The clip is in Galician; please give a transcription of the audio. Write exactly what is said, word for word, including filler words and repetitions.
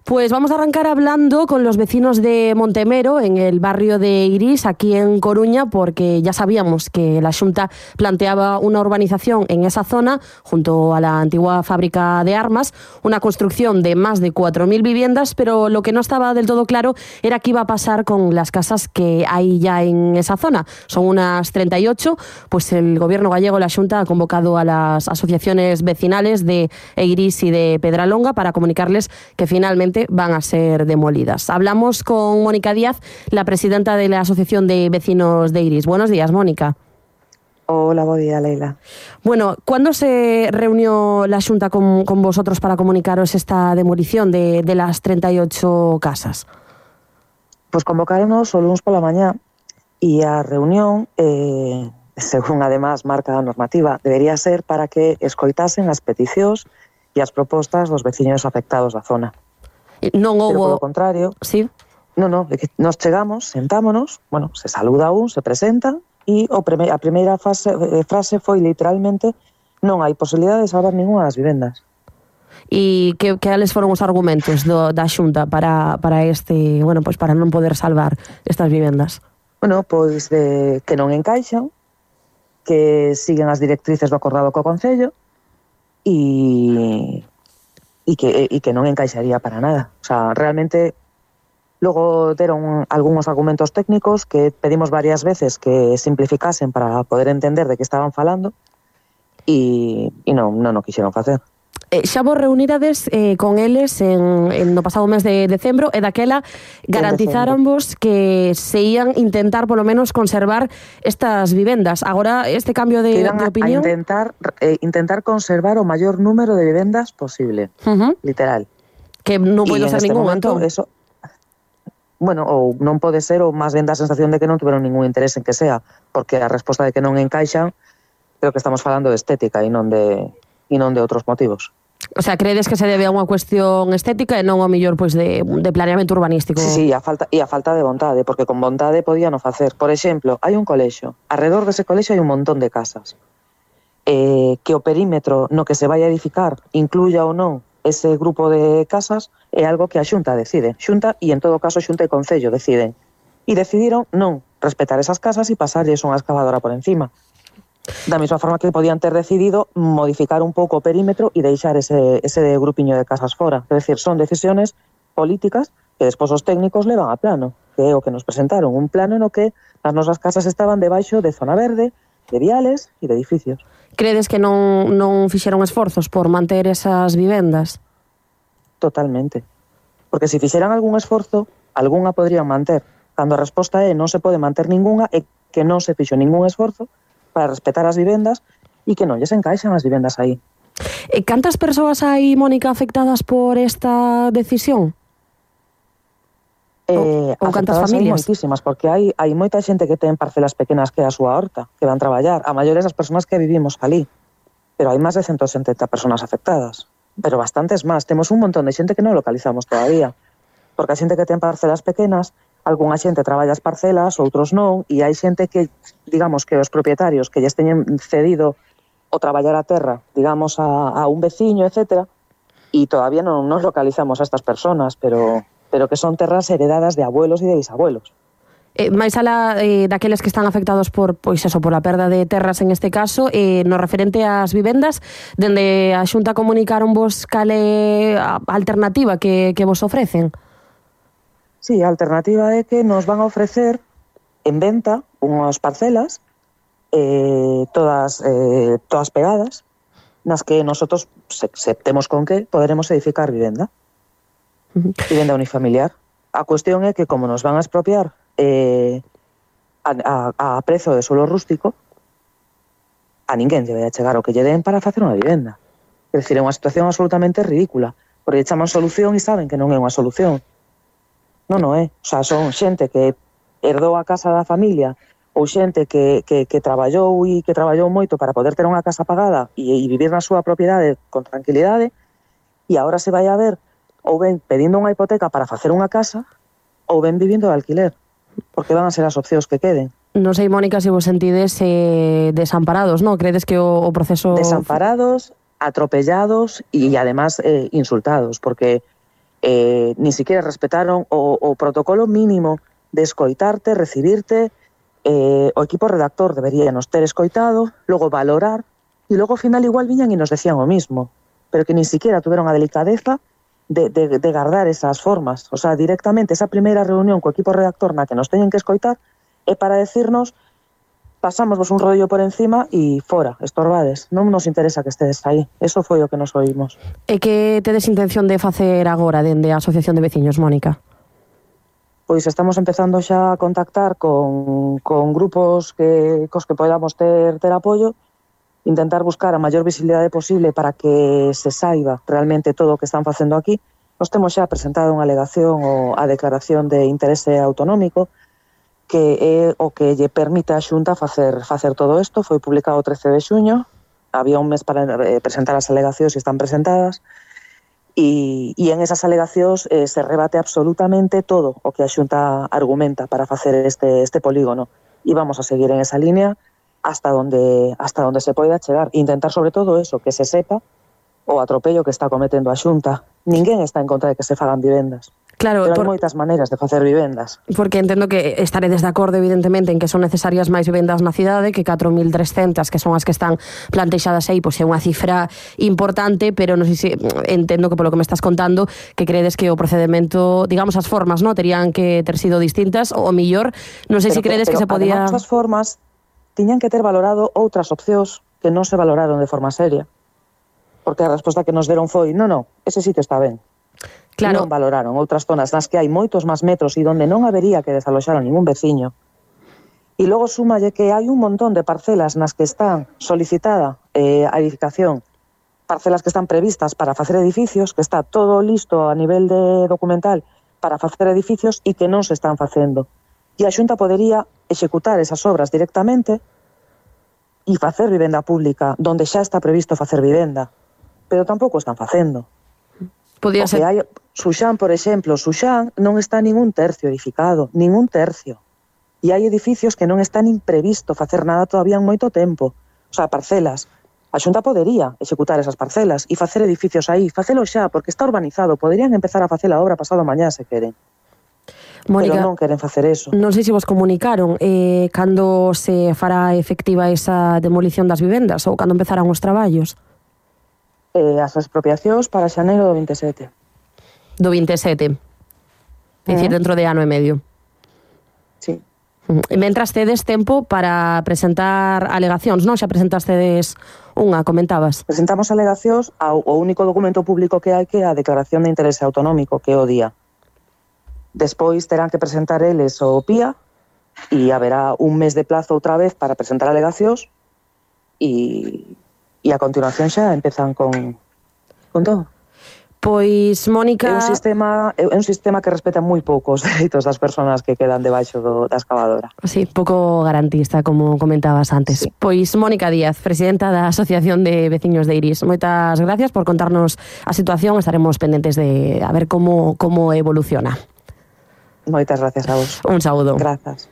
Pues vamos a arrancar hablando con los vecinos de Montemero, en el barrio de Irís, aquí en Coruña, porque ya sabíamos que la Xunta planteaba una urbanización en esa zona, junto a la antigua fábrica de armas, una construcción de más de cuatro mil viviendas, pero lo que no estaba del todo claro era qué iba a pasar con las casas que hay ya en esa zona. Son unas treinta y ocho, pues el gobierno gallego, la Xunta, ha convocado a las asociaciones vecinales de Irís y de Pedralonga para comunicarles que finalmente van a ser demolidas. Hablamos con Mónica Díaz, la presidenta de la Asociación de Vecinos de Irís. Buenos días, Mónica. Hola, buen día, Leila. Bueno, ¿cuándo se reunió la Xunta con, con vosotros para comunicaros esta demolición de, de las treinta y ocho casas? Pues convocaronos o luns pola mañá e a reunión, eh, según además marca a normativa, debería ser para que escoitasen as peticións e as propostas dos veciños afectados da zona. Non houbo... Pero polo contrario, sí. no, no, de que nos chegamos, sentámonos, bueno, se saluda un, se presenta e o prime, a primeira fase, eh, frase foi literalmente: non hai posibilidade de salvar ninguna das vivendas. E que, que ales foron os argumentos do, da Xunta para, para este, bueno, pois para non poder salvar estas vivendas? Bueno, pois de que non encaixan, que siguen as directrices do acordado co Concello e e que, e que non encaixaría para nada. O sea, realmente, logo deron algúns argumentos técnicos que pedimos varias veces que simplificasen para poder entender de que estaban falando e, e non, non o quixeron facer. Eh, xa vos reunirades eh, con eles en, en no pasado mes de decembro e daquela garantizáronvos que se ian intentar polo menos conservar estas vivendas. Agora este cambio de, de opinión... a intentar, eh, intentar conservar o maior número de vivendas posible, uh-huh. Literal. Que non pode ser ningún, entón. Eso, bueno, ou non pode ser, ou máis ben da sensación de que non tiveron ningún interés en que sea, porque a resposta de que non encaixan, creo que estamos falando de estética e non de... e non de outros motivos. O sea, credes que se debe a unha cuestión estética e non ao mellor pois de, de planeamento urbanístico? Sí, sí, a falta, e a falta de vontade, porque con vontade podían o facer. Por exemplo, hai un colexo, alrededor dese colexo hai un montón de casas. Eh, que o perímetro no que se vai a edificar incluya ou non ese grupo de casas é algo que a Xunta decide. Xunta, e en todo caso Xunta e Concello deciden. E decidiron non respetar esas casas e pasarlles unha excavadora por encima. Da mesma forma que podían ter decidido modificar un pouco o perímetro e deixar ese, ese grupiño de casas fora. É dicir, son decisiones políticas que despois os técnicos levan a plano, que é o que nos presentaron, un plano no que as nosas casas estaban debaixo de zona verde, de viales e de edificios. Credes que non, non fixeron esforzos por manter esas vivendas? Totalmente. Porque se fixeran algún esforzo, algunha podrían manter. Cando a resposta é non se pode manter ninguna, é que non se fixo ningún esforzo para respetar as vivendas e que non lles encaixan as vivendas aí. E cantas persoas hai, Mónica, afectadas por esta decisión? Eh, ou cantas familias? Hai moitísimas, porque hai, hai moita xente que ten parcelas pequenas que é a súa horta, que van traballar. A maiores das persoas que vivimos ali. Pero hai máis de ciento setenta persoas afectadas. Pero bastantes máis. Temos un montón de xente que non localizamos todavía. Porque a xente que ten parcelas pequenas, algunha xente traballa as parcelas, outros non, e hai xente que, digamos, que os propietarios que lles teñen cedido o traballar a terra, digamos, a, a un veciño, etcétera, e todavía non nos localizamos a estas personas, pero, pero que son terras heredadas de abuelos e de bisabuelos. Eh, máis alá eh, daqueles que están afectados por, pois eso, por a perda de terras en este caso, eh, no referente ás vivendas, dende a Xunta comunicaron vos cale a alternativa que, que vos ofrecen? Sí, a alternativa é que nos van a ofrecer en venta unhas parcelas eh, todas eh, todas pegadas nas que nosotros, se, se temos con que, poderemos edificar vivenda. Uh-huh. Vivenda unifamiliar. A cuestión é que como nos van a expropiar eh, a, a, a prezo de suelo rústico, a ninguén lle vai a chegar o que lle den para facer unha vivenda. É dicir, é unha situación absolutamente ridícula, porque chaman solución e saben que non é unha solución. Non, non é. O sea, son xente que herdou a casa da familia ou xente que, que, que traballou e que traballou moito para poder ter unha casa pagada e, e vivir na súa propiedade con tranquilidade, e agora se vai a ver ou ben pedindo unha hipoteca para facer unha casa ou ben vivindo de alquiler, porque van a ser as opcións que queden. Non sei, Mónica, se vos sentides eh, desamparados, non? Credes que o, o proceso... Desamparados, atropellados e, además, eh, insultados, porque eh, ni siquiera respetaron o, o protocolo mínimo de escoitarte, recibirte, eh, o equipo redactor debería nos ter escoitado, logo valorar, e logo ao final igual viñan e nos decían o mismo, pero que ni siquiera tuveron a delicadeza de, de, de guardar esas formas. O sea, directamente esa primeira reunión co equipo redactor na que nos teñen que escoitar é para decirnos pasámosvos un rollo por encima e fora, estorbades. Non nos interesa que estedes aí. Eso foi o que nos oímos. E que tedes intención de facer agora dende a Asociación de Veciños, Mónica? Pois estamos empezando xa a contactar con, con grupos que, cos que podamos ter, ter apoio, intentar buscar a maior visibilidade posible para que se saiba realmente todo o que están facendo aquí. Nos temos xa presentado unha alegación ou a declaración de interese autonómico, que é o que lle permite a Xunta facer facer todo isto. Foi publicado o trece de xuño, había un mes para presentar as alegacións e están presentadas, e, e en esas alegacións eh, se rebate absolutamente todo o que a Xunta argumenta para facer este, este polígono, e vamos a seguir en esa línea hasta donde, hasta donde se poida chegar, intentar sobre todo eso, que se sepa o atropello que está cometendo a Xunta. Ninguén está en contra de que se fagan vivendas. Claro, pero por... hai moitas maneiras de facer vivendas. Porque entendo que estaredes de acordo, evidentemente, en que son necesarias máis vivendas na cidade, que catro mil trescentas, que son as que están plantexadas aí, pois é unha cifra importante, pero non sei se entendo que polo que me estás contando, que credes que o procedimento, digamos, as formas, ¿no?, terían que ter sido distintas, ou mellor, non sei se credes que, que se podía... Además, as formas tiñan que ter valorado outras opcións que non se valoraron de forma seria. Porque a resposta que nos deron foi, non, non, ese sitio está ben. Claro. Non valoraron outras zonas nas que hai moitos máis metros e onde non habería que desaloxar a ningún veciño. E logo súmalle que hai un montón de parcelas nas que están solicitada eh, a edificación, parcelas que están previstas para facer edificios, que está todo listo a nivel de documental para facer edificios e que non se están facendo. E a Xunta podería executar esas obras directamente e facer vivenda pública donde xa está previsto facer vivenda, pero tampouco están facendo. Podía ser... hai, Suxán, por exemplo, Suxán non está ningún tercio edificado, ningún tercio. E hai edificios que non están imprevisto facer nada todavía en moito tempo. O sea, parcelas. A Xunta podería executar esas parcelas e facer edificios aí, facelo xa, porque está urbanizado. Poderían empezar a facer a obra pasado mañá, se queren. Mónica, pero non queren facer eso. Non sei se vos comunicaron eh, cando se fará efectiva esa demolición das vivendas ou cando empezarán os traballos. Eh, as expropiacións para xaneiro do vinte e sete. Do vinte e sete. É dicir, dentro de ano e medio. Sí. Mentras tedes tempo para presentar alegacións, non? Xa presentastedes unha, comentabas. Presentamos alegacións ao o único documento público que hai, que é a declaración de interese autonómico, que é o día. Despois terán que presentar eles o P I A e haberá un mes de plazo outra vez para presentar alegacións e, e a continuación xa empezan con, con todo. Pois, Mónica... É un sistema, é un sistema que respeta moi pouco os dereitos das persoas que quedan debaixo do, da excavadora. Sí, pouco garantista, como comentabas antes. Sí. Pois, Mónica Díaz, presidenta da Asociación de Veciños de Iris, moitas gracias por contarnos a situación. Estaremos pendentes de a ver como, como evoluciona. Moitas gracias a vos. Un saúdo. Grazas.